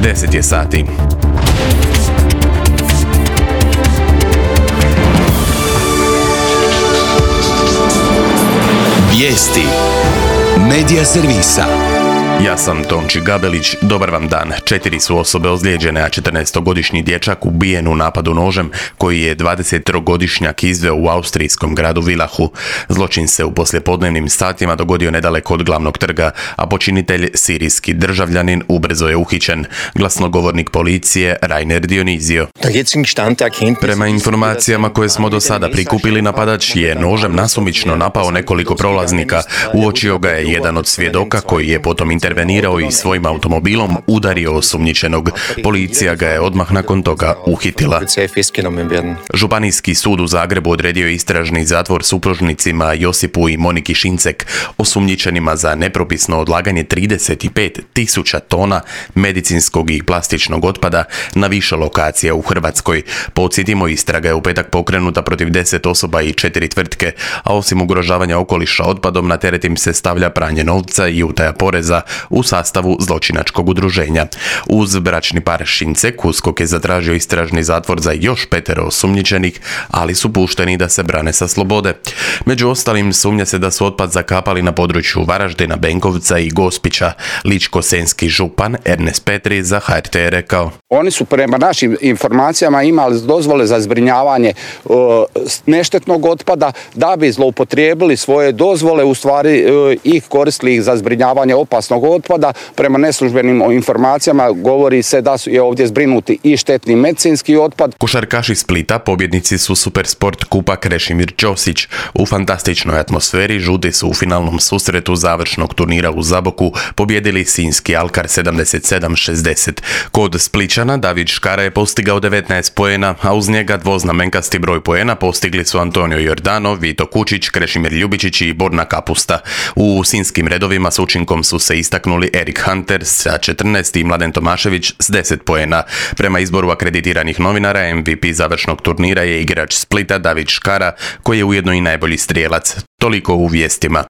10 je sati. Vijesti Medija servisa. Ja sam Tonči Gabelić, dobar vam dan. 4 su osobe ozlijeđene, a 14-godišnji dječak ubijen u napadu nožem koji je 23-godišnjak izveo u austrijskom gradu Vilahu. Zločin se u poslijepodnevnim satima dogodio nedaleko od glavnog trga, a počinitelj, sirijski državljanin, ubrzo je uhićen. Glasnogovornik policije Rainer Dionizio. Prema informacijama koje smo do sada prikupili, napadač je nožem nasumično napao nekoliko prolaznika. Uočio ga je jedan od svjedoka koji je potom intervenirao i svojim automobilom udario osumnjičenog. Policija ga je odmah nakon toga uhitila. Županijski sud u Zagrebu odredio istražni zatvor supružnicima Josipu i Moniki Šincek, osumnjičenima za nepropisno odlaganje 35.000 tona medicinskog i plastičnog otpada na više lokacija u Hrvatskoj. Podsjetimo, istraga je u petak pokrenuta protiv 10 osoba i 4 tvrtke, a osim ugrožavanja okoliša otpadom, na teret im se stavlja pranje novca i utaja poreza u sastavu zločinačkog udruženja. Uz bračni par Šincek, USKOK je zatražio istražni zatvor za još 5 osumnjičenih, ali su pušteni da se brane sa slobode. Među ostalim, sumnja se da su otpad zakapali na području Varaždina, Benkovca i Gospića. Ličko-senjski župan Ernest Petri za HRT je rekao: Oni su prema našim informacijama imali dozvole za zbrinjavanje neštetnog otpada, da bi zloupotrijebili svoje dozvole, u stvari ih koristili ih za zbrinjavanje opasnog otpada. Prema neslužbenim informacijama govori se da je ovdje zbrinuti i štetni medicinski otpad. Košarkaši Splita pobjednici su Supersport kupa Krešimir Ćosić. U fantastičnoj atmosferi žuti su u finalnom susretu završnog turnira u Zaboku pobjedili sinjski Alkar 77-60. Kod Splićana David Škara je postigao 19 poena, a uz njega dvoznamenkasti broj poena postigli su Antonio Jordanov, Vito Kučić, Krešimir Ljubičić i Borna Kapusta. U sinjskim redovima s učinkom su se istaknuli Erik Hunter sa 14 i Mladen Tomašević s 10 poena. Prema izboru akreditiranih novinara, MVP završnog turnira je igrač Splita David Škara, koji je ujedno i najbolji strijelac. Toliko u vijestima.